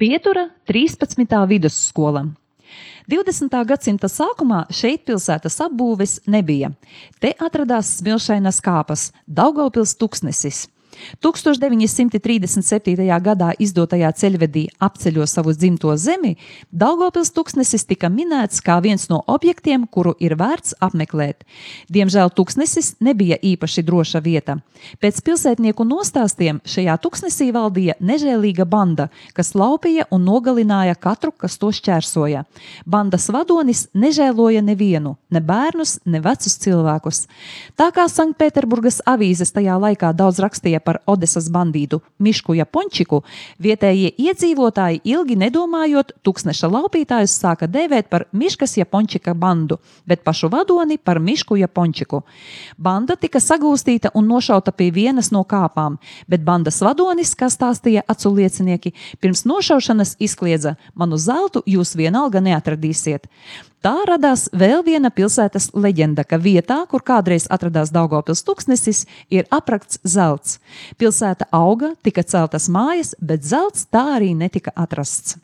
Pietura 13. vidusskola. 20. gadsimta sākumā šeit pilsētas apbūves nebija. Te atradās smilšainas kāpas, Daugavpils tuksnesis. 1937. gadā izdotajā ceļvedī Apceļo savu dzimto zemi, Daugavpils tuksnesis tika minēts kā viens no objektiem, kuru ir vērts apmeklēt. Diemžēl tuksnesis nebija īpaši droša vieta. Pēc pilsētnieku nostāstiem šajā tuksnesī valdīja nežēlīga banda, kas laupīja un nogalināja katru, kas to šķērsoja. Bandas vadonis nežēloja nevienu, ne bērnus, ne vecus cilvēkus. Tā kā Sanktpēterburgas avīzes tajā laikā daudz rakstīja par Odesas bandītu Mišku Japončiku, vietējie iedzīvotāji ilgi nedomājot, tuksneša laupītājus sāka dēvēt par Miškas Japončika bandu, bet pašu vadoni par Mišku Japončiku. Banda tika sagūstīta un nošauta pie vienas no kāpām, bet bandas vadonis, kā stāstīja acu liecinieki, pirms nošaušanas izkliedza: "Manu zeltu jūs vienalga neatradīsiet." Tā radās vēl viena pilsētas leģenda, ka vietā, kur kādreiz atradās Daugavpils tuksnesis, ir aprakts zelts. Pilsēta auga, tika celtas mājas, bet zelts tā arī netika atrasts.